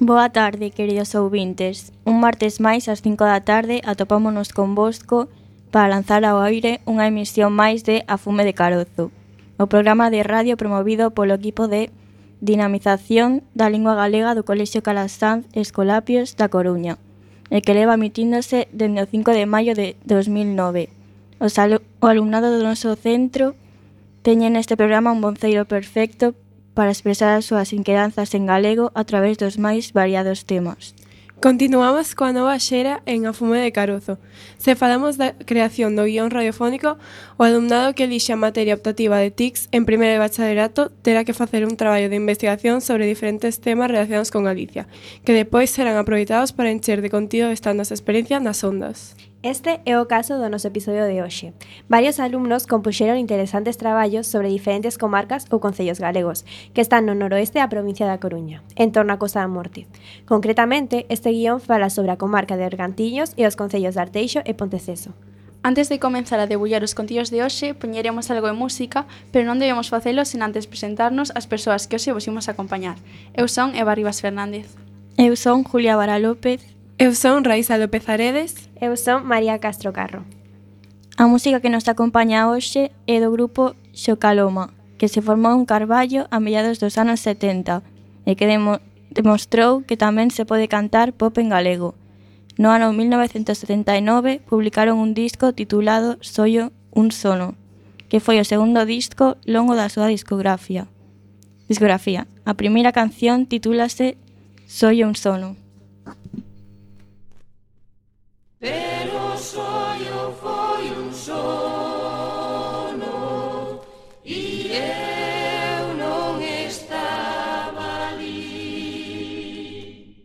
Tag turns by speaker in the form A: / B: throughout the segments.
A: Boa tarde, queridos ouvintes. Un martes máis ás 5 da tarde atopámonos convosco para lanzar ao aire unha emisión máis de A Fume de Carozo, o programa de radio promovido polo equipo de dinamización da lingua galega do Colexio Calasanz Escolapios da Coruña, e que leva emitíndose dende o 5 de maio de 2009. O alumnado do noso centro teñen neste programa un bonceiro perfecto para expresar as súas inquedanzas en galego a través dos máis variados temas.
B: Continuamos coa nova xera en A Fume de Carozo. Se falamos da creación do guión radiofónico, o alumnado que elixe a materia optativa de TICS en primeiro de bachillerato terá que facer un traballo de investigación sobre diferentes temas relacionados con Galicia, que depois serán aproveitados para encher de contido esta nosa experiencia nas ondas.
C: Este é o caso do noso episodio de hoxe. Varios alumnos compuxeron interesantes traballos sobre diferentes comarcas ou concellos galegos que están no noroeste da provincia da Coruña, en torno á Costa da Morte. Concretamente, este guión fala sobre a comarca de Bergantiños e os concellos de Arteixo e Ponteceso.
D: Antes de comenzar a debullar os contidos de hoxe, poñeremos algo de música, pero non debemos facelo sen antes presentarnos as persoas que hoxe vos imos acompañar. Eu son Eva Rivas Fernández.
A: Eu son Julia Vara López.
B: Eu son Raísa López Aredes.
C: Eu son María Castro Carro.
A: A música que nos acompaña hoxe é do grupo Xocaloma, que se formou en Carballo a mediados dos anos 70 e que demostrou que tamén se pode cantar pop en galego. No ano 1979 publicaron un disco titulado Soio un sono, que foi o segundo disco longo da súa discografía. A primeira canción titúlase Soio un sono.
E: Pero soio foi un sono e eu non estaba ali.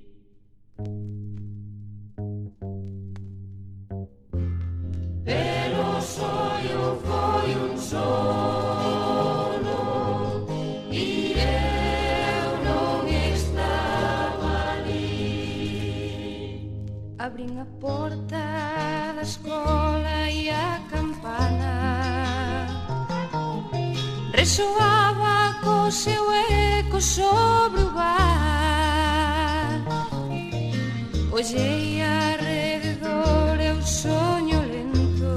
E: Pero soio foi un sono e eu non estaba ali. Abrín a porta da escola e a campana resoaba co seu eco sobre o bar. Ollei arredor e o soño lento,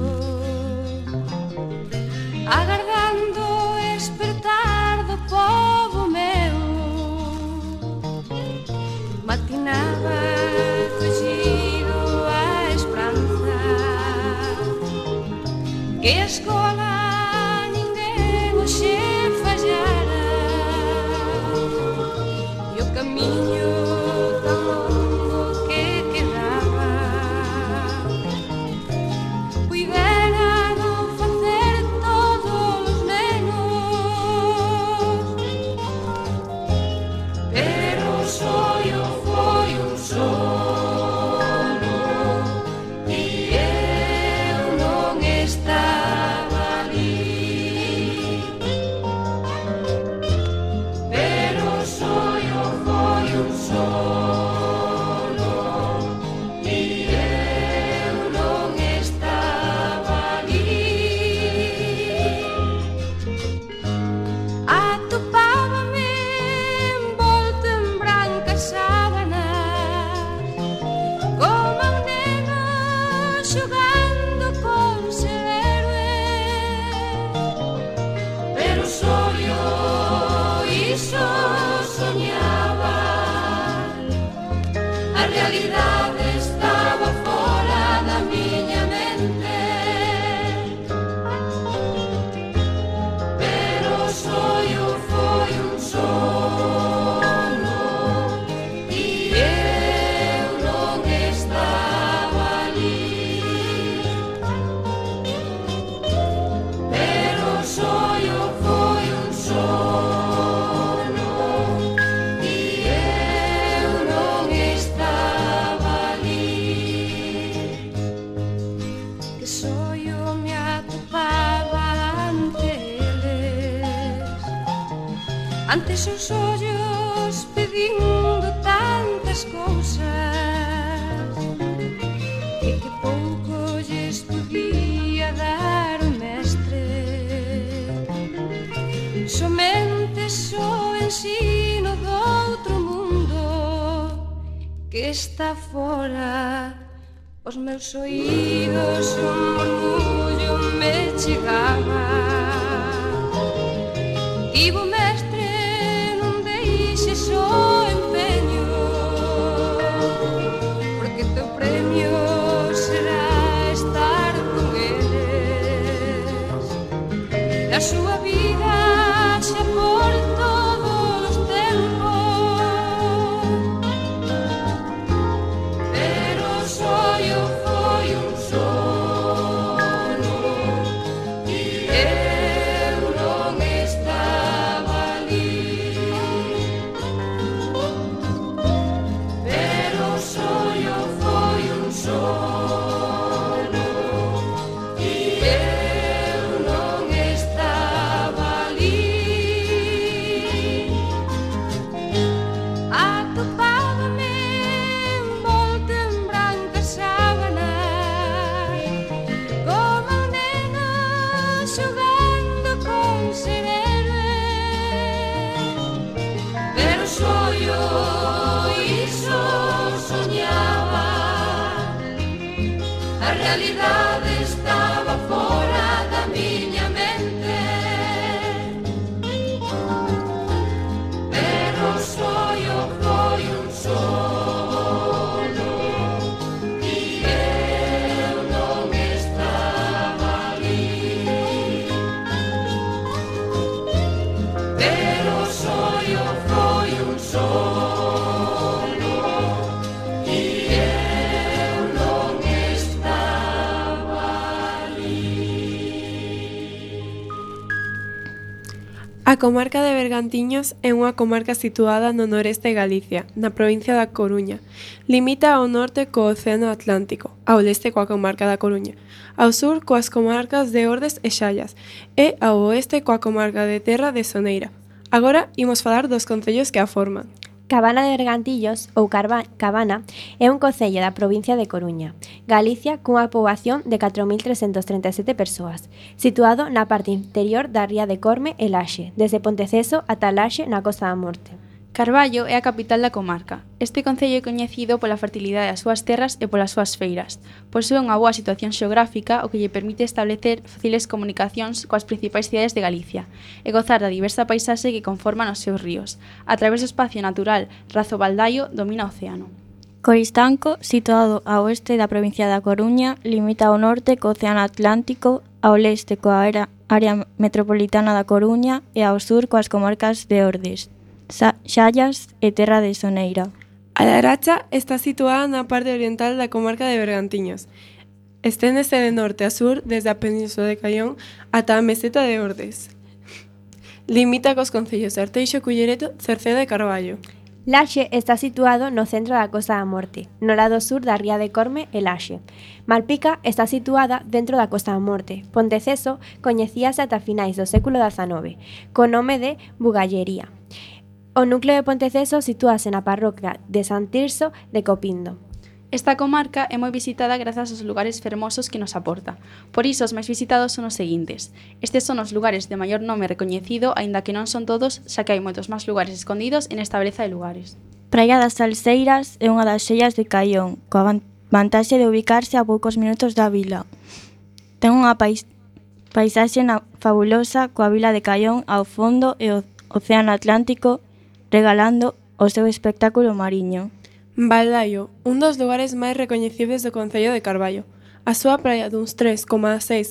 E: agardando espertar do pobo meu. Matinaba fugido a esperanza que a escola ninguén o xe fallara e o camiño tan longo que quedaba puidera non facer todos os nenos, pero o soio foi un sono. Ante seus ollos pedindo tantas cousas e que pouco lles podía dar o mestre. Somente só ensino do outro mundo que está fora. Os meus oídos un murmullo me chegaba. Tivo mestre, non deixes o empeño, porque teu premio será estar con eles. A súa vida xa por todos os tempos, pero o soio foi un sono e eu non estaba ali. Pero o soio foi un sono e eu non estaba ali. Atopábame envolta en brancas sábanas, como un neno xogando con ser héroe. Pero soio iso soñaba, a realidade estaba fora da miña mente. Pero o soio foi un sono e eu non estaba ali. Pero o soio foi un sono e eu non estaba ali.
B: A comarca de Bergantiños é unha comarca situada no noreste de Galicia, na provincia da Coruña. Limita ao norte co Océano Atlántico, ao leste coa comarca da Coruña, ao sur coas comarcas de Ordes e Xallas e ao oeste coa comarca de Terra de Soneira. Agora imos falar dos concellos que a forman.
C: Cabana de Bergantillos, ou Cabana, é un concello da provincia de Coruña, Galicia, cunha poboación de 4.337 persoas, situado na parte interior da ría de Corme e Laxe, desde Ponteceso ata Laxe na Costa da Morte.
D: Carballo é a capital da comarca. Este concello é coñecido pola fertilidade das súas terras e polas súas feiras. Posúe unha boa situación xeográfica, o que lle permite establecer fáciles comunicacións coas principais cidades de Galicia e gozar da diversa paisaxe que conforman os seus ríos. A través do espacio natural Razo Baldaio domina o océano.
A: Coristanco, situado ao oeste da provincia da Coruña, limita ao norte co Océano Atlántico, ao leste coa área metropolitana da Coruña e ao sur coas comarcas de Ordes, Xallas e Terra de Soneira.
B: A Laracha está situada na parte oriental da comarca de Bergantiños. Esténdese de norte a sur desde a península de Caión ata a meseta de Ordes. Limita cos concellos de Arteixo, Culleredo, Cerceda e Carballo.
C: Laxe está situado no centro da Costa da Morte, no lado sur da ría de Corme e Laxe. Malpica está situada dentro da Costa da Morte. Ponteceso coñecíase ata finais do século XIX, co nome de Bugallería. O núcleo de Ponteceso sitúase na parroquia de San Tirso de Copindo.
D: Esta comarca é moi visitada grazas aos lugares fermosos que nos aporta. Por iso os máis visitados son os seguintes. Estes son os lugares de maior nome recoñecido, aínda que non son todos, xa que hai moitos máis lugares escondidos en esta beleza de lugares.
A: Praia das Salseiras é unha das xellas de Caión, coa vantaxe de ubicarse a poucos minutos da vila. Ten unha paisaxe fabulosa coa vila de Caión ao fondo e o Océano Atlántico regalando o seu espectáculo mariño.
B: Baldaio, un dos lugares máis recoñecibles do concello de Carballo. A súa praia duns 3,6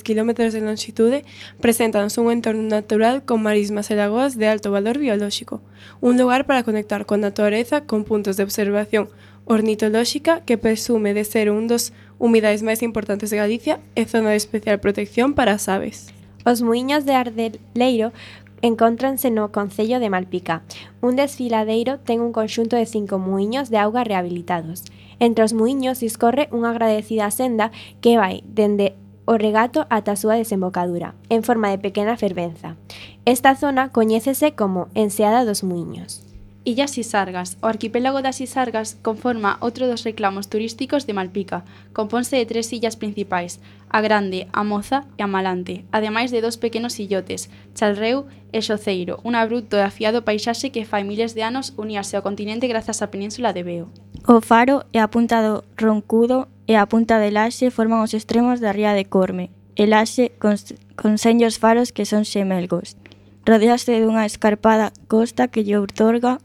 B: km de longitude preséntanos un entorno natural con marismas e lagoas de alto valor biolóxico. Un lugar para conectar con a natureza con puntos de observación ornitolóxica que presume de ser un dos humidais máis importantes de Galicia e zona de especial protección para as aves.
C: Os muiños de Ardeleiro encóntranse no concello de Malpica. Un desfiladeiro ten un conxunto de 5 muiños de auga rehabilitados. Entre os muiños discorre unha agradecida senda que vai dende o regato ata a súa desembocadura, en forma de pequena fervenza. Esta zona coñécese como Enseada dos Muiños.
D: Illas Sisargas. O arquipélago das Sisargas conforma outro dos reclamos turísticos de Malpica. Compónse de 3 illas principais, a Grande, a Moza e a Malante, ademais de 2 pequenos illotes, Chalreu e Xoceiro, un abrupto e afiado paisaxe que fai miles de anos uníase ao continente grazas á península de Veo.
A: O faro e a punta do Roncudo e a punta de Laxe forman os extremos da ría de Corme, e Laxe con senllos faros que son xemelgos. Rodeaste dunha escarpada costa que lle outorga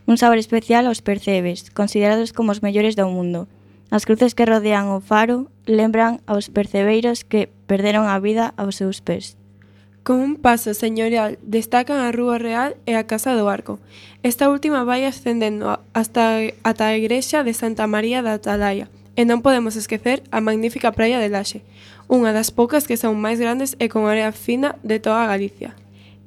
A: un sabor especial aos percebes, considerados como os mellores do mundo. As cruces que rodean o faro lembran aos percebeiros que perderon a vida aos seus pés.
B: Con un paso señorial destacan a Rúa Real e a Casa do Arco. Esta última vai ascendendo ata a igrexa de Santa María da Atalaya. E non podemos esquecer a magnífica praia de Laxe, unha das poucas que son máis grandes e con area fina de toda Galicia.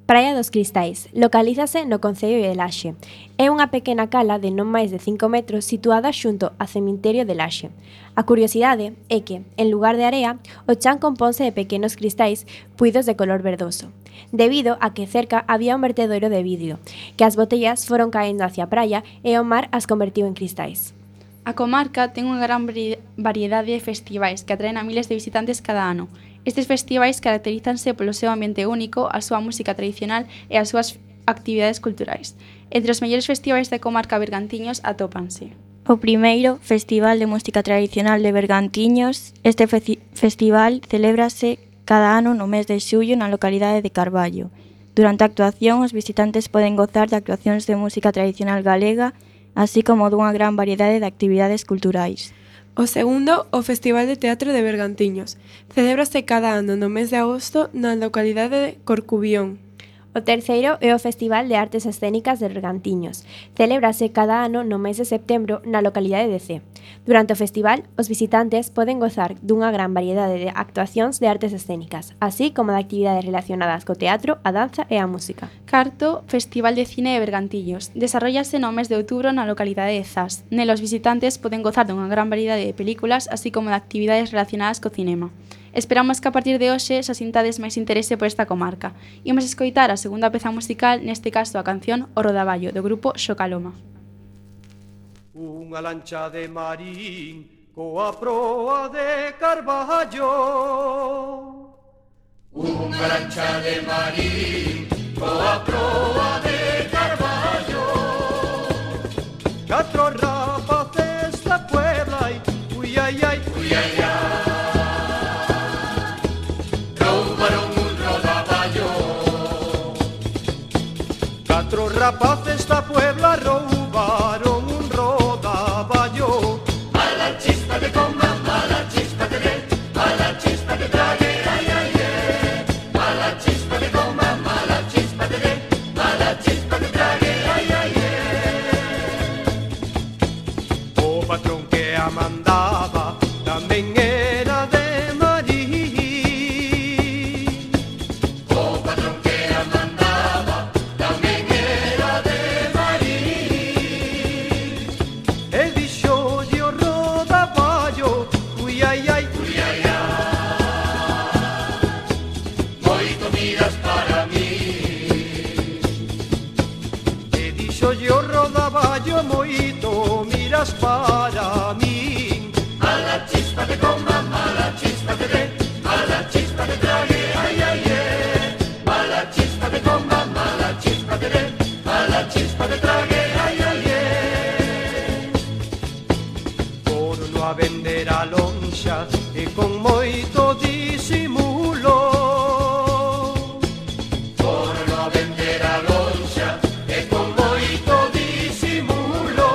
C: Praia dos Cristais, localízase no concello de Laxe. É unha pequena cala de non máis de 5 metros situada xunto ao cemiterio de Laxe. A curiosidade é que, en lugar de area, o chan componse de pequenos cristais puidos de color verdoso, debido a que cerca había un vertedoiro de vidrio, que as botellas foron caendo hacia a praia e o mar as convertiu en cristais.
D: A comarca ten unha gran variedade de festivais que atraen a miles de visitantes cada ano. Estes festivais caracterízanse polo seu ambiente único, a súa música tradicional e as súas actividades culturais. Entre os mellores festivais da comarca Bergantiños atópanse
A: o primeiro Festival de Música Tradicional de Bergantiños. Este festival celébrase cada ano no mes de xullo na localidade de Carballo. Durante a actuación, os visitantes poden gozar de actuacións de música tradicional galega, así como dunha gran variedade de actividades culturais.
B: O segundo, o Festival de Teatro de Bergantiños. Celébrase cada ano no mes de agosto na localidade de Corcubión.
C: O terceiro é o Festival de Artes Escénicas de Bergantiños. Celébrase cada ano no mes de setembro na localidade de Cee. Durante o festival, os visitantes poden gozar dunha gran variedade de actuacións de artes escénicas, así como de actividades relacionadas co teatro, a danza e a música.
D: Carto, Festival de Cine de Bergantiños. Desarrollase no mes de outubro na localidade de Zas. Nel os visitantes poden gozar dunha gran variedade de películas, así como de actividades relacionadas co cinema. Esperamos que a partir de hoxe xa sintades máis interese por esta comarca. Imos escoitar a segunda peza musical, neste caso a canción O Rodaballo, do grupo Xocaloma.
F: Unha lancha de marín coa proa de Carballo. Unha lancha de marín coa proa de Carballo. Catro rapaces da Puebla e ui ai ai, ui ai ai. Catro rapaces da Puebla roubaron un rodaballo. A la chispa de coma, a la chispa de a la chispa de trague, ay ay ay. A la chispa de coma, a la chispa de a la chispa de trague, ay ay ay. O patrón que a mandaba tamén era de moito miras para min. A la chispa de coma, a la chispa de a la chispa de trague, ay ay ay. A la chispa de coma, a la chispa de a la chispa de trague, ay ay ay. Por no a vender a lonxa e con moito disimulo. Por no a vender a lonxa e con moito disimulo.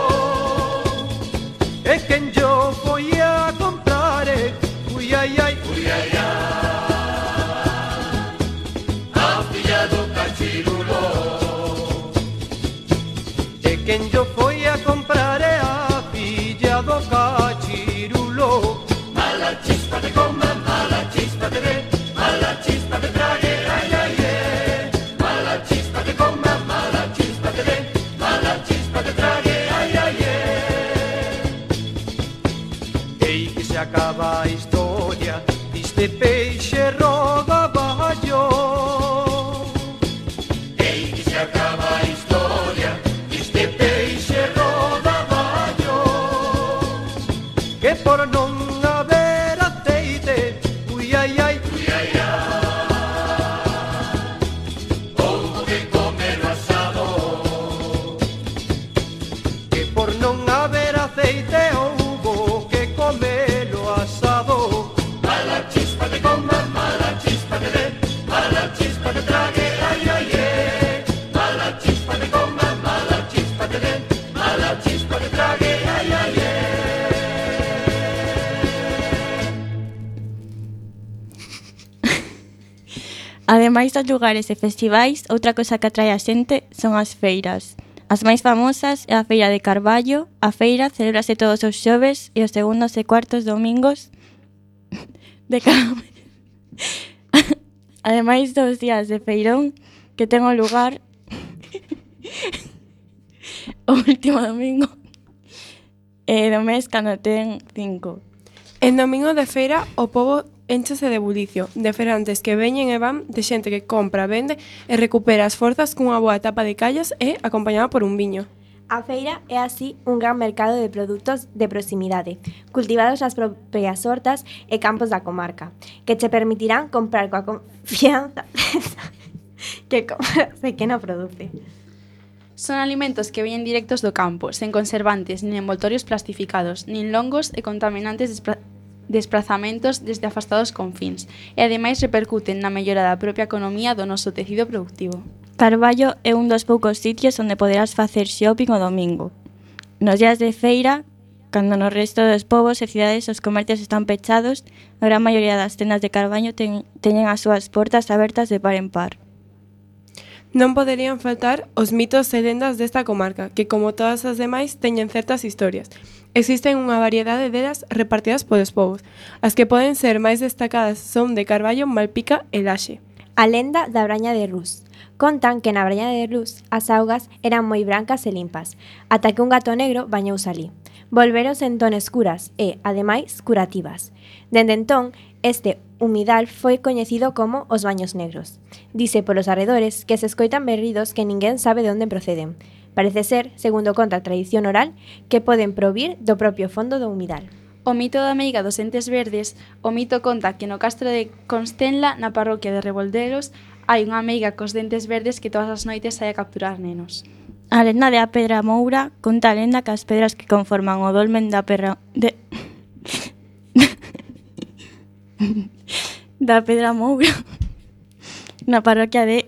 F: E quen yo foi a comprar, ui ai ai, ui ai ai. A filla do cachirulo. E quen yo foi a comprar a filla do cachirulo. A la chispa de coma, a la chispa de a la chispa de trague, ai ai ai. A la chispa de coma, a la chispa de a la chispa de trague, ai ai ai. Ei que se acaba a historia diste peixe rodaballo. Ei que se acaba a historia diste peixe rodaballo. Que por non haber aceite, ui ai ai, ui ai ai. Houbo que comer o asado. Que por non haber aceite
A: Ademais dos lugares e festivais, outra cosa que atrae a xente son as feiras. As máis famosas é a Feira de Carballo. A feira celebrase todos os xoves e os segundos e cuartos domingos de cada mes. Ademais dos días de feirón que ten o lugar o último domingo do mes cando ten 5.
B: En domingo de feira, o pobo énchese de bulicio, de ferantes que veñen e van, de xente que compra, vende e recupera as forzas cunha boa tapa de callos e acompañada por un viño.
C: A feira é así un gran mercado de produtos de proximidade, cultivados nas propias hortas e campos da comarca, que che permitirán comprar coa confianza que compras e que non produce.
D: Son alimentos que veñen directos do campo, sen conservantes, nin envoltorios plastificados, nin longos e contaminantes desplazamentos desde afastados confíns, e ademais repercuten na mellora da propia economía do noso tecido productivo.
A: Carballo é un dos poucos sitios onde poderás facer shopping o domingo. Nos días de feira, cando no resto dos povos e cidades os comercios están pechados, a gran maioría das tendas de Carballo teñen as súas portas abertas de par en par.
B: Non poderían faltar os mitos e lendas desta comarca, que como todas as demais teñen certas historias. Existen unha variedade delas repartidas polos povos. As que poden ser máis destacadas son de Carballo, Malpica e Laxe.
C: A lenda da Braña de Rus. Contan que na Braña de Rus as augas eran moi brancas e limpas, ata que un gato negro bañouse ali. Volveronse entón escuras e, ademais, curativas. Dende entón, este humidal foi coñecido como os baños negros. Dice polos arredores que se escoitan berridos que ninguén sabe de onde proceden. Parece ser, segundo conta a tradición oral, que poden provir do propio fondo do humidal.
D: O mito da meiga dos entes verdes, o mito conta que no castro de Constenla, na parroquia de Rebolderos, hai unha meiga cos dentes verdes que todas as noites sai a capturar nenos.
A: A lenda de a Pedra Moura conta a lenda que as pedras que conforman o dolmen da da Pedra Moura na parroquia de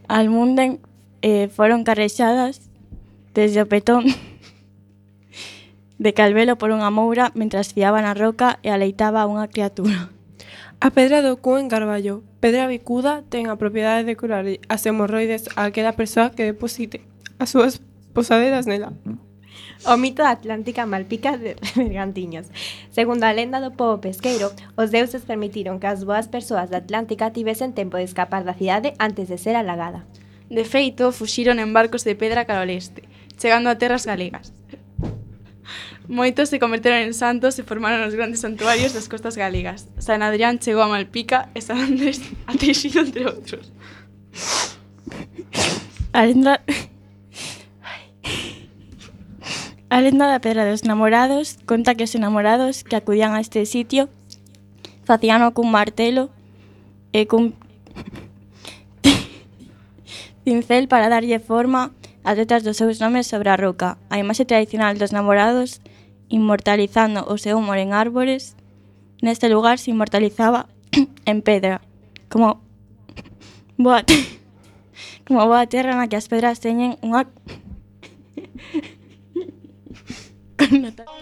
A: Almunden foron carrexadas desde o petón de Calvelo por unha moura mentras fiaba na roca e aleitaba a unha criatura.
B: A pedra do cu en Carballo, pedra bicuda, ten a propiedade de curar as hemorroides a aquela persoa que deposite as súas posaderas nela.
C: O mito da Atlántica Malpica de Bergantiños. Segundo a lenda do pobo pesqueiro, os deuses permitiron que as boas persoas da Atlántica tivesen tempo de escapar da cidade antes de ser alagada.
D: De feito, fuxiron en barcos de pedra cara ao leste, chegando a terras galegas. Moitos se converteron en santos e formaron os grandes santuarios das costas galegas. San Adrián chegou a Malpica e San Andrés a Teixido, entre outros.
A: A lenda da Pedra dos Namorados conta que os enamorados que acudían a este sitio facíano cun martelo e cun pincel para darlle forma ás letras dos seus nomes sobre a roca. A imaxe tradicional dos namorados inmortalizando o seu amor en árbores. Neste lugar se inmortalizaba en pedra, como boa terra na que as pedras teñen unha connotación.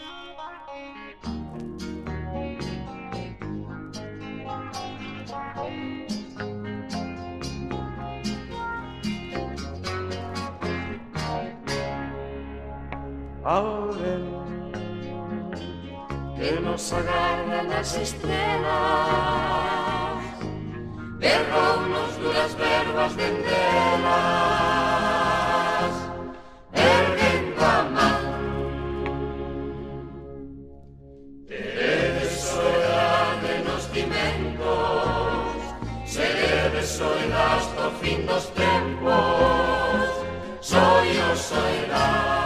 F: Ao ver que nos agarran as estrelas, berrounos duras verbas dendelas, erguendo a man. Teredes soidade nos cimentos, seredes soidas do fin dos tempos, soio soidade.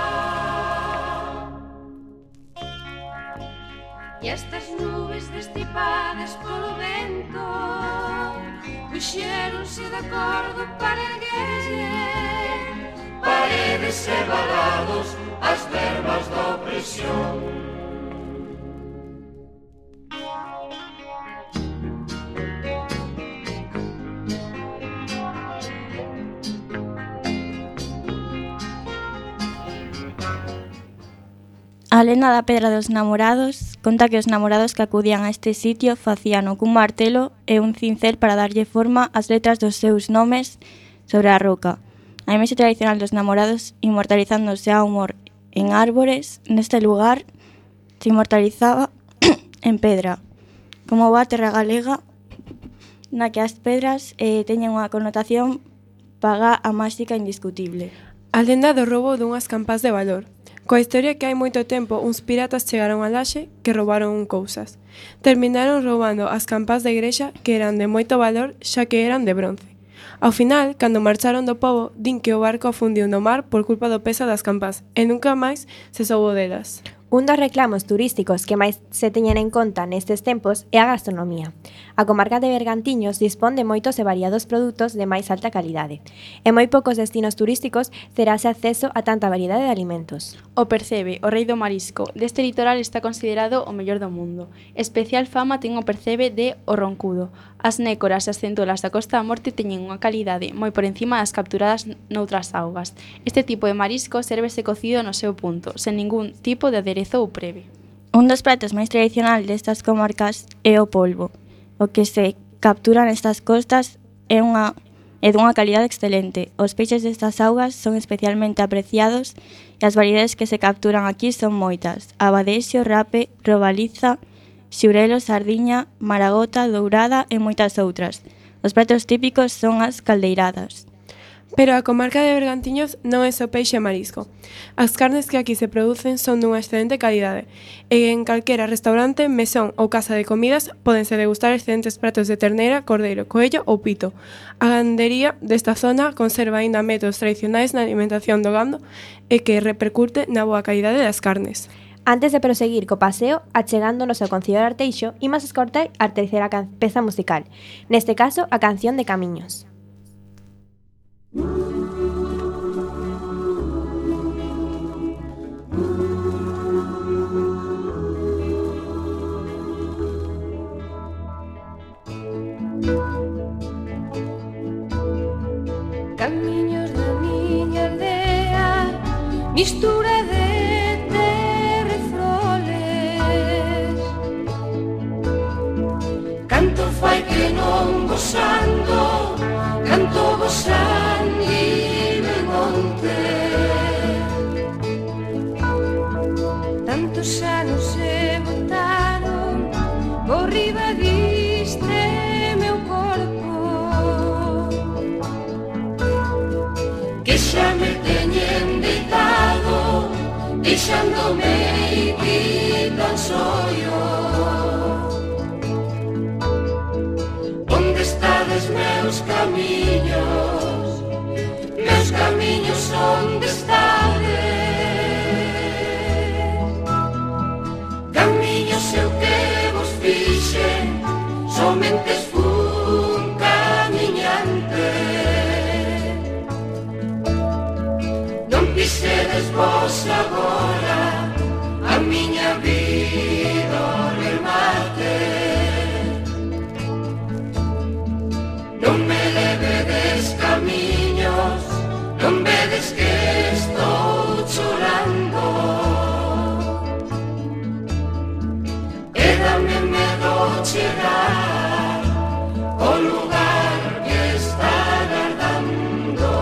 E: E estas nubes destipadas polo vento puxéronse de acordo para erguer
F: Paredes e valados as verbas da opresión.
A: A lenda da Pedra dos Namorados conta que os namorados que acudían a este sitio facíano cun martelo e un cincel para darlle forma ás letras dos seus nomes sobre a roca. A imaxe tradicional dos namorados inmortalizándose a humor en árbores, neste lugar se inmortalizaba en pedra, como boa terra galega na que as pedras teñen unha connotación paga a máxica indiscutible.
B: A lenda do roubo dunhas campás de valor. Coa historia que hai moito tempo uns piratas chegaron a Laxe que roubaron cousas. Terminaron roubando as campás da igrexa que eran de moito valor xa que eran de bronce. Ao final, cando marcharon do pobo, din que o barco afundiu no mar por culpa do peso das campás e nunca máis se soubo delas.
C: Un dos reclamos turísticos que máis se teñen en conta nestes tempos é a gastronomía. A comarca de Bergantiños dispón de moitos e variados produtos de máis alta calidade. En moi poucos destinos turísticos terase acceso a tanta variedade de alimentos.
D: O Percebe, o rei do marisco, deste litoral está considerado o mellor do mundo. Especial fama ten o Percebe de O Roncudo. As nécoras e as centolas da Costa da Morte teñen unha calidade moi por encima das capturadas noutras augas. Este tipo de marisco sérvese cocido no seu punto, sen ningún tipo de aderezo ou preve.
A: Un dos pratos máis tradicional destas comarcas é o polvo. O que se captura nestas costas é dunha calidade excelente. Os peixes destas augas son especialmente apreciados e as variedades que se capturan aquí son moitas: abadexo, rape, robaliza, xurelo, sardiña, maragota, dourada e moitas outras. Os pratos típicos son as caldeiradas.
B: Pero a comarca de Bergantiños non é só peixe e marisco. As carnes que aquí se producen son dunha excelente calidade e en calquera restaurante, mesón ou casa de comidas pódense degustar excelentes pratos de ternera, cordeiro, coello ou pito. A gandería desta zona conserva aínda métodos tradicionais na alimentación do gando e que repercute na boa calidade das carnes.
C: Antes de proseguir co paseo, achegándonos ao Concello de Arteixo, imos escoitar a terceira peza musical, neste caso a canción de Camiños.
E: Camiños da miña aldea, mistura de terra e froles. Canto fai que non gozando, canto gozando de monte. Tantos anos se botaron por riba diste meu corpo, que xa me teñen deitado, deixándome ir tan soio. Onde estades meus camiños, onde estades? Camiños eu que vos fixen, somente fun camiñante. Non pisedes vos agora a miña vida ao remate. Non me levedes camiños, non vedes que estou chorando. E dame medo chegar ao lugar que está agardando.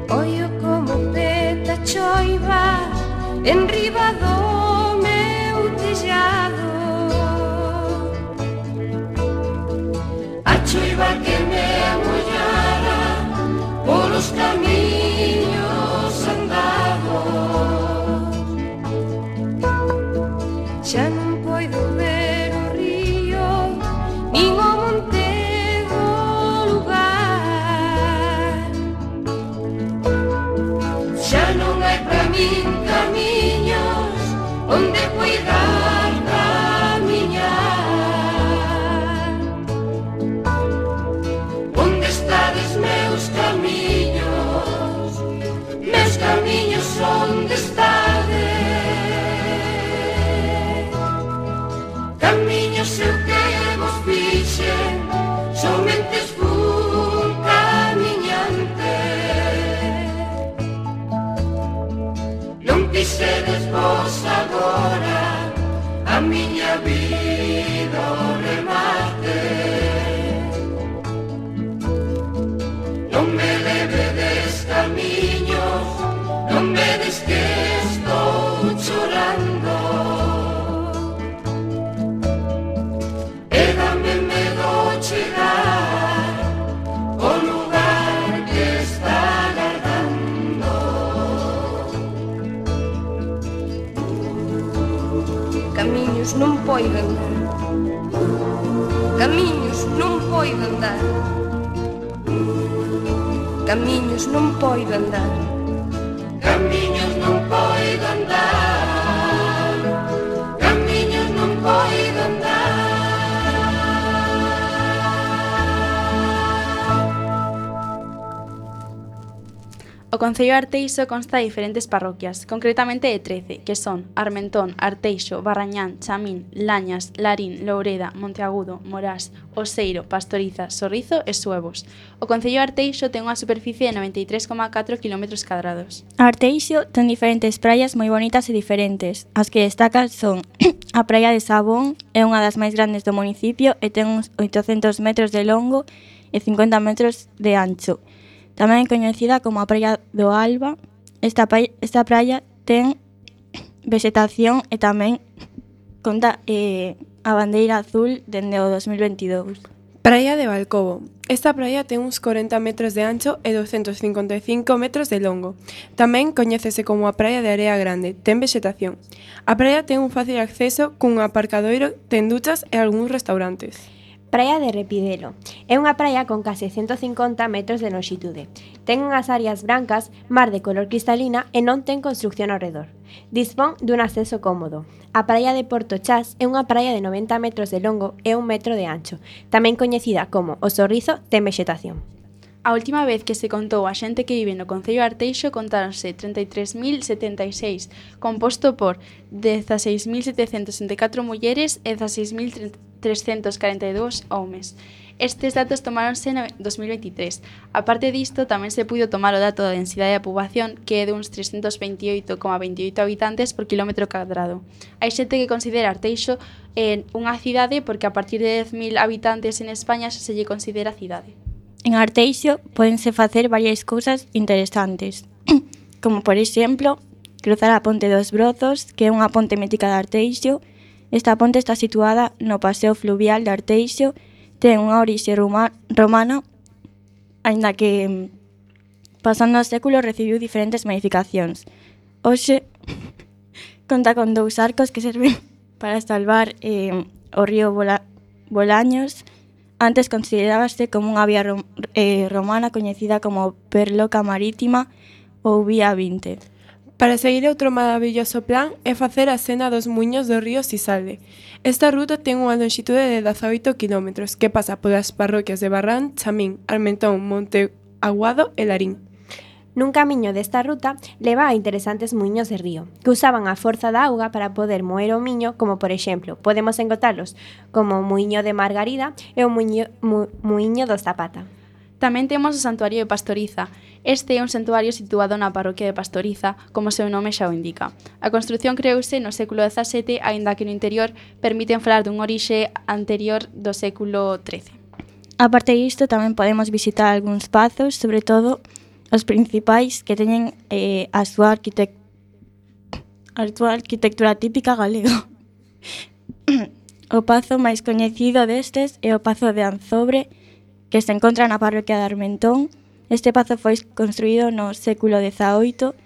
E: Ollo como peta choiva enriba do meu tellado. A choiva que me amollara polos camiños andados. Xa non poido ver o río nin o monte do lugar. Xa non hai pra min camiños onde poidar camiñar. Camiños eu que vos fixen, somente fun camiñante. Non quixedes vos agora a miña vida o remate. Non me levedes camiños, non vedes que estou chorando. E dame medo chegar ao lugar que está agardando. Camiños non poido andar, camiños non poido andar, camiños non poido andar, camiños non poido andar, camiños non poido andar.
D: O concello de Arteixo consta de diferentes parroquias, concretamente de 13, que son Armentón, Arteixo, Barrañán, Chamín, Lañas, Larín, Loureda, Monteagudo, Morás, Oseiro, Pastoriza, Sorrizo e Suevos. O concello de Arteixo ten unha superficie de 93,4 km².
A: Arteixo ten diferentes praias moi bonitas e diferentes. As que destacan son a praia de Sabón, é unha das máis grandes do municipio e ten uns 800 metros de longo e 50 metros de ancho. Tamén coñecida como a praia do Alba, esta praia ten vegetación e tamén conta a bandeira azul dende o 2022.
B: Praia de Balcobo. Esta praia ten uns 40 metros de ancho e 255 metros de longo. Tamén coñécese como a praia de Area Grande, ten vegetación. A praia ten un fácil acceso cun aparcadoiro, ten duchas e algúns restaurantes.
C: Praia de Repidelo. É unha praia con case 150 metros de longitude. Ten unhas áreas brancas, mar de color cristalina e non ten construcción ao redor. Dispón dun acceso cómodo. A praia de Porto Chás é unha praia de 90 metros de longo e 1 metro de ancho. Tamén coñecida como O Sorrizo, ten vexetación.
D: A última vez que se contou a xente que vive no concello de Arteixo contáronse 33.076, composto por 16.764 mulleres e 16.342 homes. Estes datos tomáronse en 2023. A parte disto, tamén se puido tomar o dato da densidade da poboación, que é duns 328,28 habitantes por quilómetro cadrado. Hai xente que considera Arteixo unha cidade porque a partir de 10.000 habitantes en España se lle considera cidade.
A: En Arteixo pódense facer varias cousas interesantes, como por exemplo, cruzar a ponte dos Brozos, que é unha ponte mítica de Arteixo. Esta ponte está situada no paseo fluvial de Arteixo, ten unha orixe romana, aínda que pasando os séculos recibiu diferentes modificacións. Hoxe conta con 2 arcos que serven para salvar o río Bolaños. Antes considerábase como unha vía romana coñecida como Perloca Marítima ou Vía 20.
B: Para seguir outro maravilloso plan é facer a senda dos muiños do río Sisalde. Esta ruta ten unha longitude de 18 km que pasa polas parroquias de Barrán, Chamín, Armentón, Monteagudo e Larín.
C: Nun camiño desta ruta leva a interesantes muiños de río, que usaban a forza da auga para poder moer o miño, como por exemplo, podemos encontralos como o muiño de Margarida e o muiño do Zapata.
D: Tamén temos o Santuario de Pastoriza. Este é un santuario situado na parroquia de Pastoriza, como o seu nome xa o indica. A construción creouse no século XVII, aínda que no interior permiten falar dun orixe anterior do século XIII.
A: A parte disto, tamén podemos visitar algúns pazos, sobre todo os principais que teñen a súa arquitectura típica galega. O pazo máis coñecido destes é o Pazo de Anzobre, que se encontra na parroquia de Armentón. Este pazo foi construído no século XVIII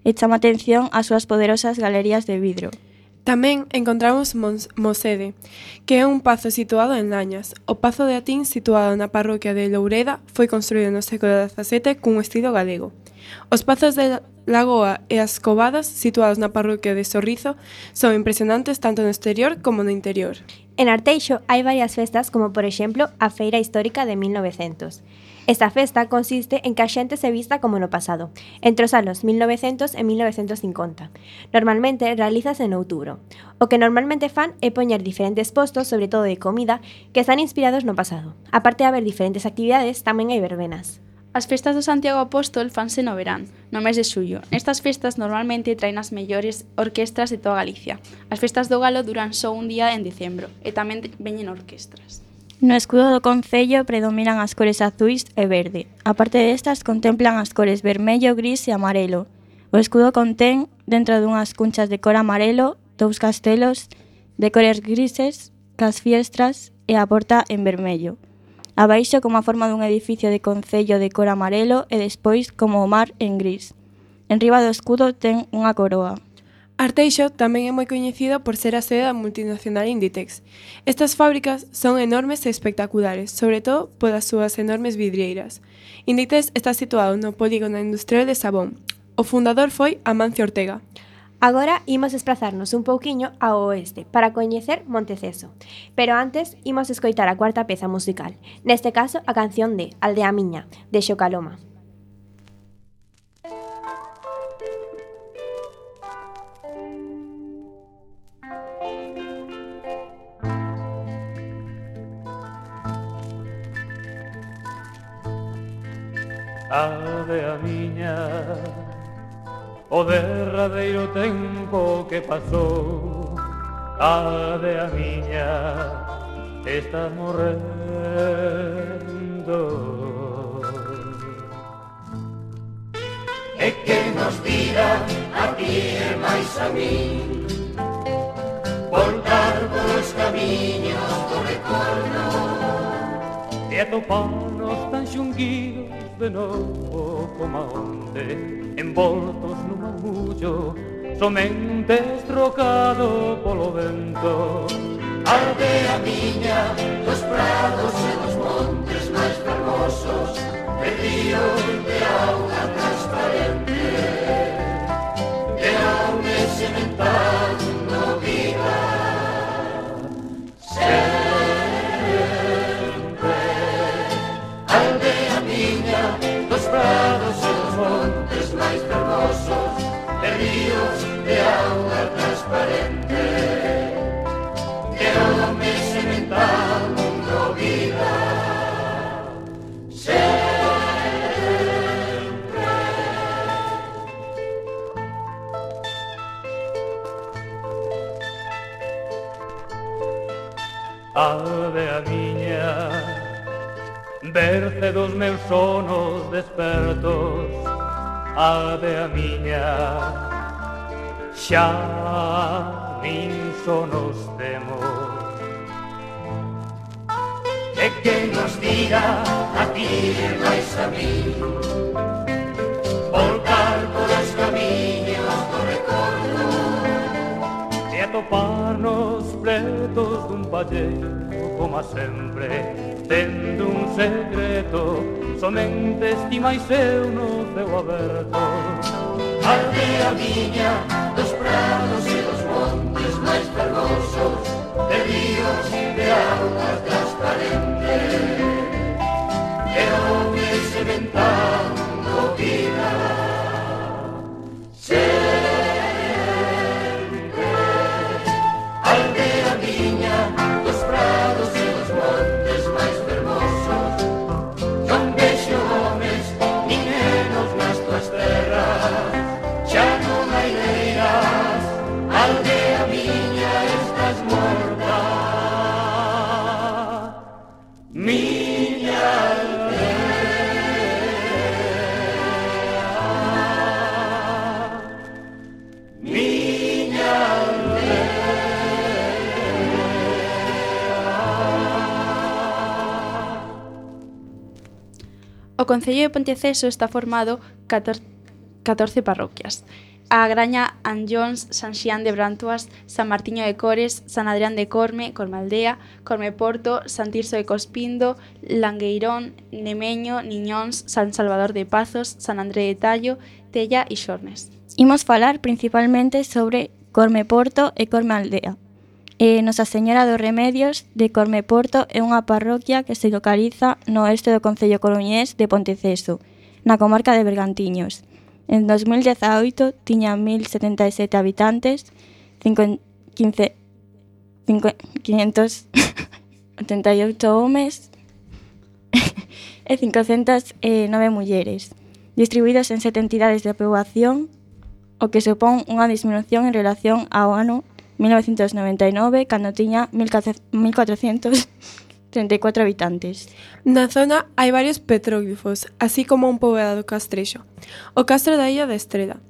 A: e chama atención ás súas poderosas galerías de vidro.
B: Tamén encontramos Mosede, que é un pazo situado en Lañas. O Pazo de Atín, situado na parroquia de Loureda, foi construído no século XVII cun estilo galego. Os pazos de Lagoa e as Covadas, situados na parroquia de Sorrizo, son impresionantes tanto no exterior como no interior.
C: En Arteixo hai varias festas, como por exemplo a Feira Histórica de 1900. Esta festa consiste en que a xente se vista como no pasado, entre os anos 1900 e 1950. Normalmente realízase en outubro. O que normalmente fan é poñer diferentes postos, sobre todo de comida, que están inspirados no pasado. Aparte de haber diferentes actividades, tamén hai verbenas.
D: As festas do Santiago Apóstol fanse no verán, no mes de xullo. Nestas festas normalmente traen as mellores orquestras de toda Galicia. As festas do Galo duran só un día en decembro e tamén veñen orquestras.
A: No escudo do concello predominan as cores azuis e verde. A parte destas, contemplan as cores vermello, gris e amarelo. O escudo contén, dentro dunhas cunchas de cor amarelo, 2 castelos de cores grises, cas fiestras e a porta en vermello. Abaixo como a forma dun edificio de concello de cor amarelo e despois como o mar en gris. Enriba do escudo ten unha coroa.
B: Arteixo tamén é moi coñecido por ser a sede da multinacional Inditex. Estas fábricas son enormes e espectaculares, sobre todo polas súas enormes vidrieiras. Inditex está situado no polígono industrial de Sabón. O fundador foi Amancio Ortega.
C: Agora imos desplazarnos un pouquiño ao oeste para coñecer Monteceso. Pero antes imos escoitar a cuarta peza musical, neste caso a canción de Aldea Miña, de Xocaloma.
F: Aldea miña, o derradeiro tempo que pasou, aldea miña, está morrendo.
G: E que nos dirá a ti e máis a min voltar polos camiños do retorno
F: E atoparnos tan xunguidos de novo como onde, envoltos nun murmullo, somente estrocado polo vento.
G: Aldea miña, dos prados e dos montes máis fermosos, de ríos de auga transparente, de aume sementando vida. Prados e dos montes máis fermosos, de ríos de auga transparente, de home sementando vida. Sempre.
F: Aldea miña, berce dos meus sonos despertos, aldea miña, xa nin sonos temos.
G: E que nos diga a ti e máis a mí voltar polos camiños do recordo
F: e atoparnos pretos dun palleiro, como sempre, tendo un secreto, somente estimais eu no ceo aberto.
G: Aldea miña, dos prados e dos montes máis fermosos, de ríos de auga transparente, de home sementando vida. Sempre. Aldea miña, dos prados e dos montes máis fermosos, non vexo homes nin nenos nas tuas terras, xa non hai leiras, aldea miña, estás morta. Miña aldea, miña aldea.
D: O Concello de Ponteceso está formado 14 parroquias. A Graña Anllóns, San Xián de Brantoas, San Martiño de Cores, San Adrián de Corme, Cormealdea, Cormeporto, San Tirso de Cospindo, Langueirón, Nemeño, Niñóns, San Salvador de Pazos, San André de Tallo, Tella e Xornes.
A: Imos falar principalmente sobre Cormeporto e Cormealdea. Nosa Señora dos Remedios de Corme-Porto é unha parroquia que se localiza no oeste do concello coruñés de Ponteceso, na comarca de Bergantiños. En 2018 tiña 1077 habitantes, 588 homes e 509 mulleres, distribuídos en 7 entidades de poboación, o que supón unha disminución en relación ao ano 1999, cando tiña 1.434 habitantes.
B: Na zona hai varios petróglifos, así como un poboado castrexo. O castro da Illa da Estrela.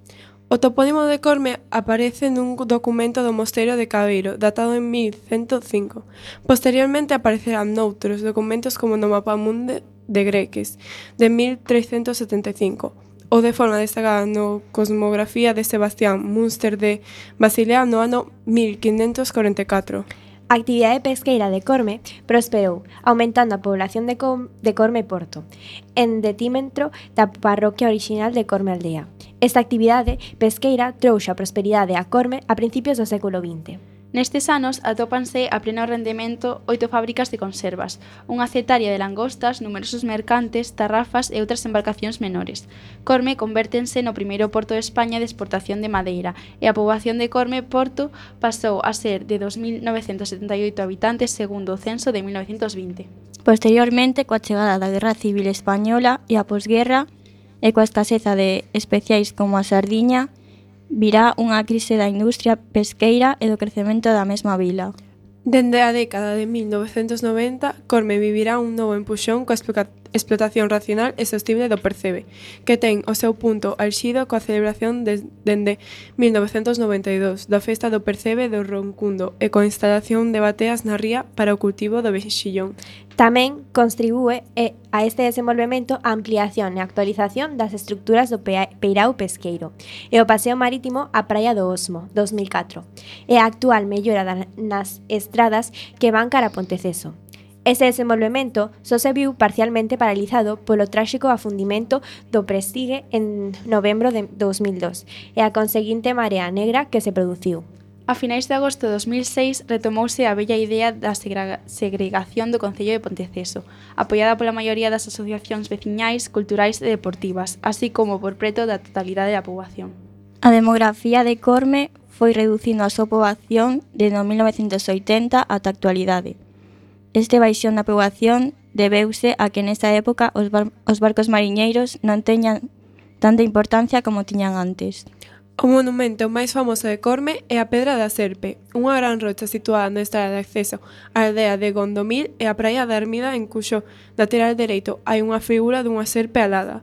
B: O topónimo de Corme aparece nun documento do mosteiro de Cabeiro, datado en 1105. Posteriormente aparecerán noutros documentos como no Mapamundi de Greques, de 1375, ou de forma destacada no Cosmografía de Sebastián Münster de Basilea no ano 1544.
C: A actividade pesqueira de Corme prosperou, aumentando a población de Corme-Porto, en detímetro da parroquia orixinal de Corme Aldea. Esta actividade pesqueira trouxo a prosperidade a Corme a principios do século XX.
D: Nestes anos atópanse a pleno rendemento 8 fábricas de conservas, unha cetaria de langostas, numerosos mercantes, tarrafas e outras embarcacións menores. Corme convértense no primeiro porto de España de exportación de madeira e a poboación de Corme-Porto pasou a ser de 2.978 habitantes segundo o censo de 1920.
A: Posteriormente, coa chegada da Guerra Civil Española e a posguerra, e coa escaseza de especiais como a sardiña, virá unha crise da industria pesqueira e do crecemento da mesma vila.
B: Dende a década de 1990, Corme vivirá un novo empuxón coa explotación racional e sostible do percebe, que ten o seu punto alxido coa celebración dende 1992 da festa do percebe do Roncundo e coa instalación de bateas na ría para o cultivo do mexillón.
C: Tamén contribúe a este desenvolvemento a ampliación e actualización das estructuras do peirao pesqueiro e o paseo marítimo á Praia do Osmo, 2004, e a actual mellora nas estradas que van cara a Ponteceso. Ese desenvolvemento só se viu parcialmente paralizado polo tráxico afundimento do Prestige en novembro de 2002 e a conseguinte marea negra que se produciu.
D: A finais de agosto de 2006 retomouse a bella idea da segregación do Concello de Ponteceso, apoiada pola maioría das asociacións veciñais, culturais e deportivas, así como por preto da totalidade da poboación.
A: A demografía de Corme foi reducindo a súa poboación desde 1980 ata a actualidade. Este baixón da poboación debeuse a que nesta época os barcos mariñeiros non teñan tanta importancia como tiñan antes.
B: O monumento máis famoso de Corme é a Pedra da Serpe, unha gran rocha situada na estrada de acceso á aldea de Gondomil e a praia da Ermida, en cuxo lateral dereito hai unha figura dunha serpe alada.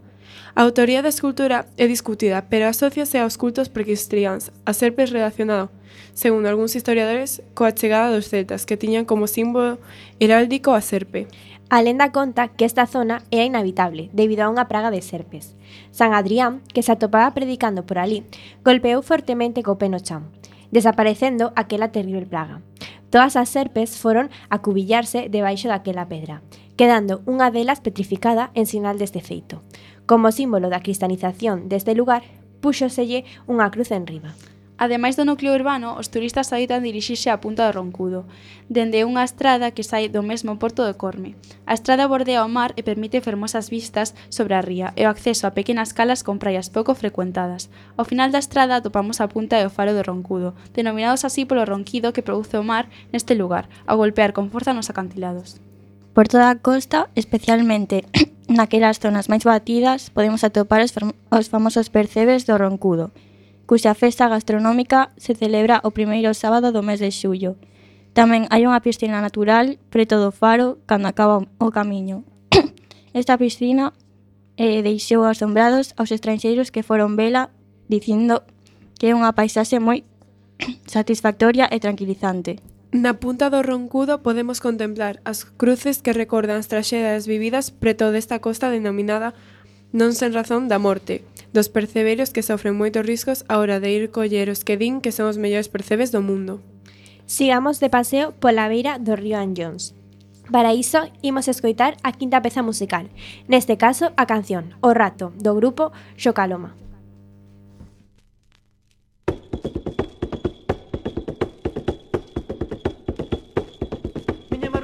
B: A autoría da escultura é discutida, pero asóciase aos cultos precristiáns, as serpes relacionado, segundo algúns historiadores, coa chegada dos celtas, que tiñan como símbolo heráldico a serpe.
C: A lenda conta que esta zona era inhabitable debido a unha praga de serpes. San Adrián, que se atopaba predicando por ali, golpeou fortemente co pé no chan, desaparecendo aquela terrible plaga. Todas as serpes foron a cubillarse debaixo daquela pedra, quedando unha delas petrificada en sinal deste feito. Como símbolo da cristianización deste lugar, púxoselle unha cruz enriba.
D: Ademais do núcleo urbano, os turistas adoitan dirixirse á Punta do Roncudo, dende unha estrada que sai do mesmo porto de Corme. A estrada bordea o mar e permite fermosas vistas sobre a ría e o acceso a pequenas calas con praias pouco frecuentadas. Ao final da estrada atopamos a punta e o faro do Roncudo, denominados así polo ronquido que produce o mar neste lugar, ao golpear con forza nos acantilados.
A: Por toda a costa, especialmente naquelas zonas máis batidas, podemos atopar os famosos percebes do Roncudo, cuxa festa gastronómica se celebra o primeiro sábado do mes de xullo. Tamén hai unha piscina natural preto do faro cando acaba o camiño. Esta piscina deixou asombrados aos estranxeiros que foron vela, dicindo que é unha paisaxe moi satisfactoria e tranquilizante.
B: Na punta do Roncudo podemos contemplar as cruces que recordan as traxedias vividas preto desta costa denominada non sen razón da morte, dos percebeiros que sofren moitos riscos á hora de ir coller os que din que son os mellores percebes do mundo.
C: Sigamos de paseo pola beira do río Anllóns. Para iso, imos escoitar a quinta peza musical, neste caso a canción O Rato, do grupo Xocaloma.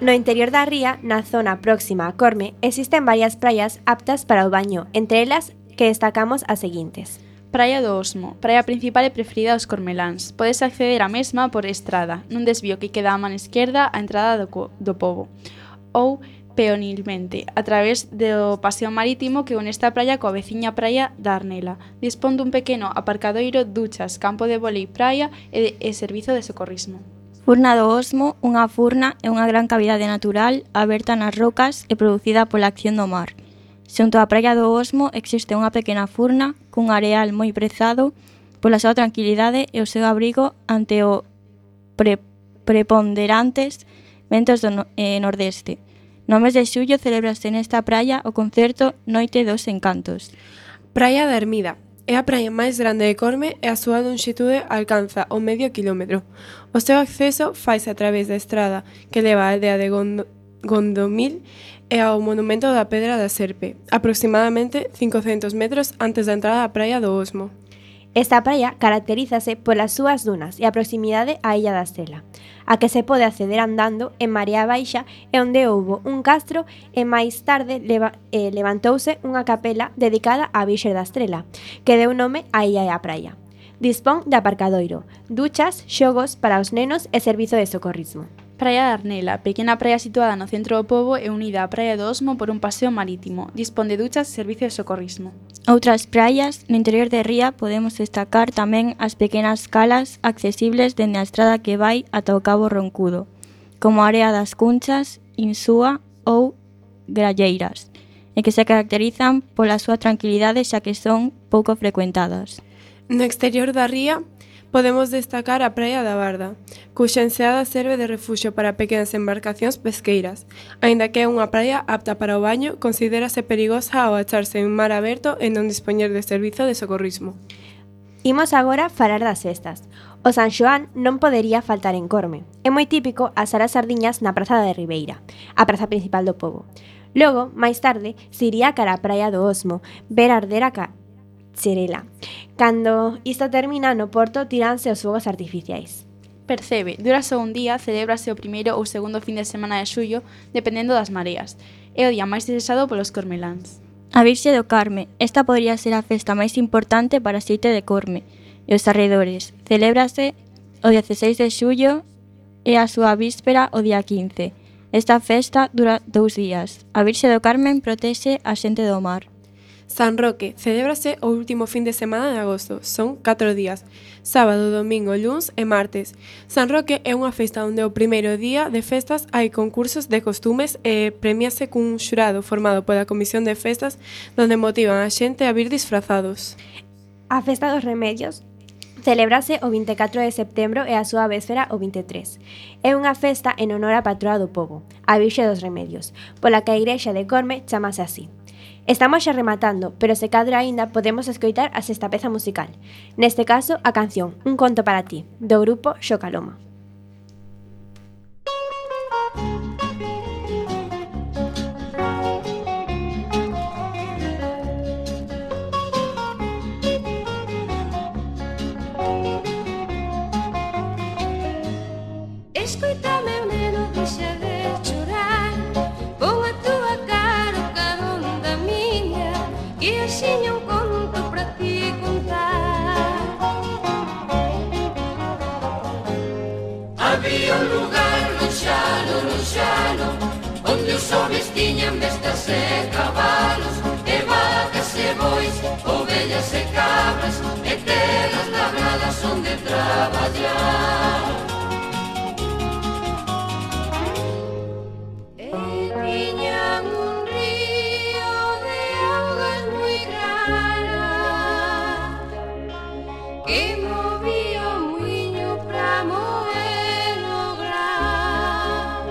C: No interior da ría, na zona próxima a Corme, existen varias praias aptas para o baño, entre elas que destacamos as seguintes.
D: Praia do Osmo, praia principal e preferida dos cormeláns. Podes acceder á mesma por estrada, nun desvío que queda á man esquerda á entrada do pobo, ou peonilmente, a través do paseo marítimo que une esta praia coa veciña praia da Arnela. Dispón dun pequeno aparcadoiro, duchas, campo de vólei praia e servizo de socorrismo.
A: Furna do Osmo, unha furna é unha gran cavidade natural aberta nas rocas e producida pola acción do mar. Xunto á praia do Osmo existe unha pequena furna cun areal moi prezado pola súa tranquilidade e o seu abrigo ante o preponderantes ventos do nordeste. No mes de xullo celebrase nesta praia o concerto Noite dos Encantos.
B: Praia da Ermida. É a praia máis grande de Corme e a súa lonxitude alcanza o medio quilómetro. O seu acceso faise a través da estrada que leva á aldea de Gondomil e ao monumento da Pedra da Serpe, aproximadamente 500 metros antes da entrada á praia do Osmo.
C: Esta praia caracterízase polas súas dunas e a proximidade á illa da Estela, a que se pode acceder andando en Marea Baixa e onde houbo un castro e máis tarde levantouse unha capela dedicada á Virxe da Estrela, que deu nome á illa e á praia. Dispón de aparcadoiro, duchas, xogos para os nenos e servizo de socorrismo.
D: Praia da Arnela, pequena praia situada no centro do pobo e unida á Praia do Osmo por un paseo marítimo. Dispón de duchas e servicio de socorrismo.
A: Outras praias, no interior de Ría, podemos destacar tamén as pequenas calas accesibles dende a estrada que vai ata o Cabo Roncudo, como Area das Cunchas, Insúa ou Gralleiras, e que se caracterizan pola súa tranquilidade xa que son pouco frecuentadas.
B: No exterior da ría, podemos destacar a Praia da Barda, cuxa enseada serve de refuxio para pequenas embarcacións pesqueiras. Aínda que é unha praia apta para o baño, considérase perigosa ao acharse en mar aberto e non dispoñer de servizo de socorrismo.
C: Imos agora falar das festas. O San Xoán non podería faltar en Corme. É moi típico asar as sardiñas na Praza de Ribeira, a praza principal do pobo. Logo, máis tarde, se iría cara a Praia do Osmo, ver arder a Cherela. Cando isto termina, no porto tiranse os fogos artificiais.
D: Percebe, dura só un día, celébrase o primeiro ou segundo fin de semana de xullo, dependendo das mareas. É o día máis desexado polos cormeláns.
A: A Virxe do Carme, esta podría ser a festa máis importante para Xeite de Corme e os arredores. Celébrase o 16 de xullo e a súa víspera o día 15. Esta festa dura 2 días. A Virxe do Carmen protexe a xente do mar.
B: San Roque celébrase o último fin de semana de agosto. Son 4 días, sábado, domingo, luns e martes. San Roque é unha festa onde o primeiro día de festas hai concursos de costumes e premiase cun xurado formado pola Comisión de Festas donde motivan a xente a vir disfrazados.
C: A Festa dos Remedios celébrase o 24 de setembro e a súa véspera o 23. É unha festa en honor á patroa do pobo, a Virxe dos Remedios, pola que a Igrexa de Corme chamase así. Estamos xa rematando, pero se cadra aínda podemos escoitar a sexta peza musical. Neste caso, a canción Un conto para ti, do grupo Xocaloma.
E: Escoítame, neno, deixa de chorar. Pon a túa cara o carón da miña, que axiña un conto para ti contar. Había un lugar lonxano, onde os homes tiñan bestas e cabalos, e vacas e bois, ovellas e cabras, e terras labradas onde traballar. Tiñan un río de augas moi claras que movía o muiño pra moer o gran.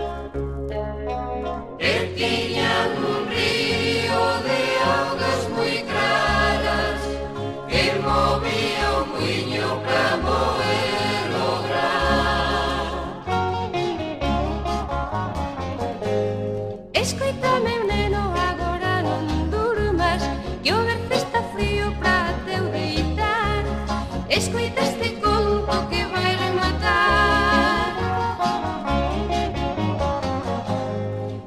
E: E tiñan un río de augas moi claras que movía o muiño pra moer o gran. Escoítame, neno, agora non durmas, que o berce está frío pra teu deitar. Escoita este conto que vai rematar.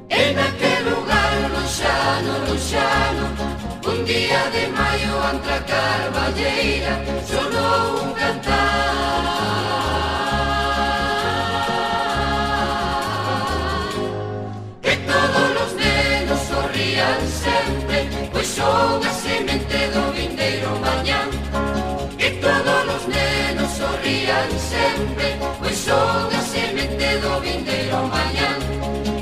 E: E naquel lugar lonxano, un día de maio ante a carballeira, sonou un cantar. Que todos los nenos sorrían sempre, pois son a semente do vindeiro mañán. Que todos los nenos sorrían sempre, pois son a semente do vindeiro mañán.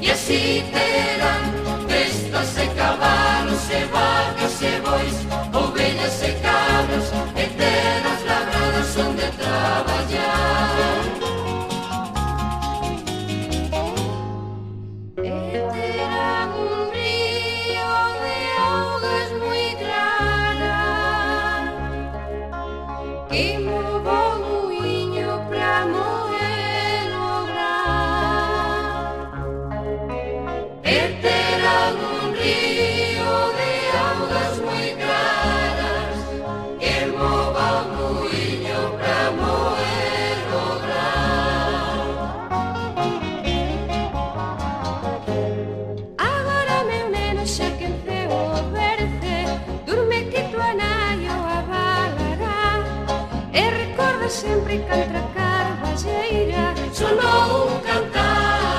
E: E así terán bestas e cabalos e vacas e bois, ovellas e cabras, e terras labradas onde traballar. Terán un río de augas moi claras que movo o muiño pra moer o gran. E terán un río de augas moi claras que movo o muiño pra moer o gran. Agora, meu neno, xa que enceo o berce, durme que tua nai o avalará. E recorda sempre que contra a carballeira sonou un cantar.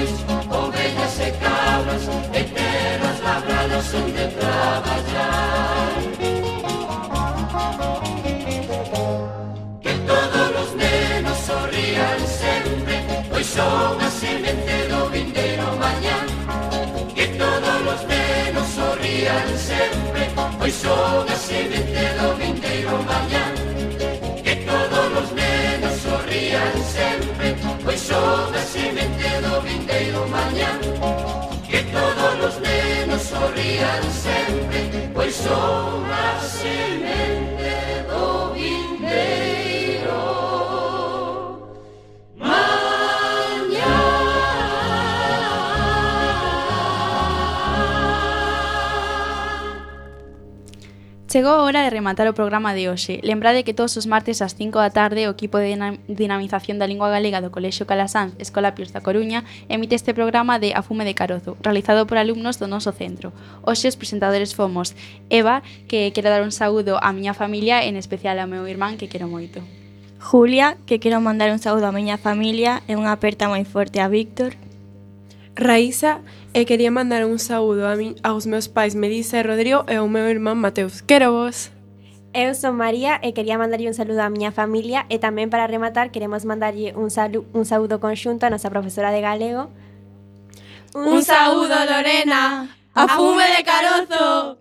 G: pois ovellas e cabras e terras labradas onde traballar. Que todos os nenos sorrían sempre, pois son a semente do vindeiro mañán. Que todos os nenos sorrían sempre, pois son a semente do vindeiro mañán. Que todos os nenos sorrían sempre, pois son a semente do vindeiro mañán. Que todos os nenos sorrían sempre, pois son a semente do vindeiro mañán.
D: Chegou a hora de rematar o programa de hoxe. Lembrade que todos os martes ás 5 da tarde o equipo de dinamización da lingua galega do Colexio Calasanz, Escola Pios da Coruña, emite este programa de A Fume de Carozo, realizado por alumnos do noso centro. Hoxe os presentadores fomos Eva, que quero dar un saúdo á miña familia, en especial ao meu irmán, que quero moito.
A: Julia, que quero mandar un saúdo á miña familia e unha aperta moi forte a Víctor.
B: Raísa, e quería mandar un saúdo aos meus pais Melissa e Rodrigo e ao meu irmán Mateus. Quero vos.
C: Eu son María e quería mandarlle un saludo á miña familia e tamén para rematar queremos mandarlle un saúdo conxunto a nosa profesora de galego.
B: Un saúdo, Lorena. A fume de carozo.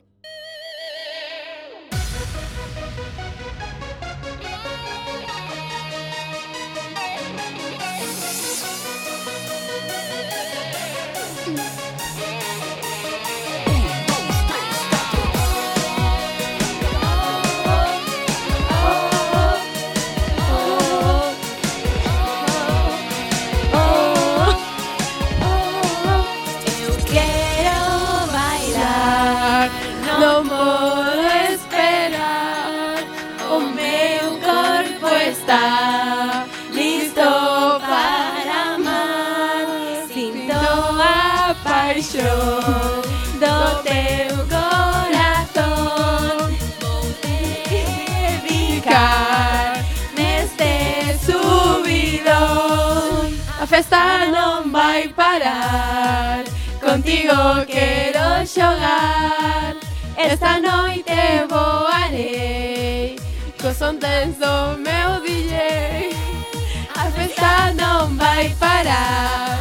B: Non podo esperar, o meu corpo está listo para amar. Sinto a paixón do teu corazón. Vou dedicar neste subidón. A festa non vai parar, contigo quero xogar. Esta noite voarei co son tenso meu DJ. A festa non vai parar,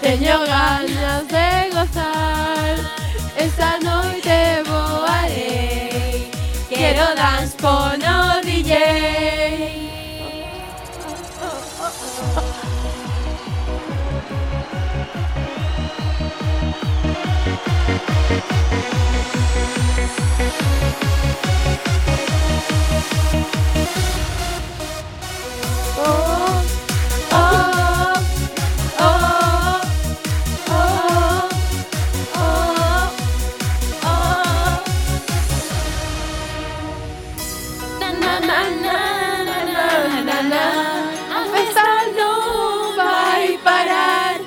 B: teño ganas de gozar. Esta noite voarei, quero dance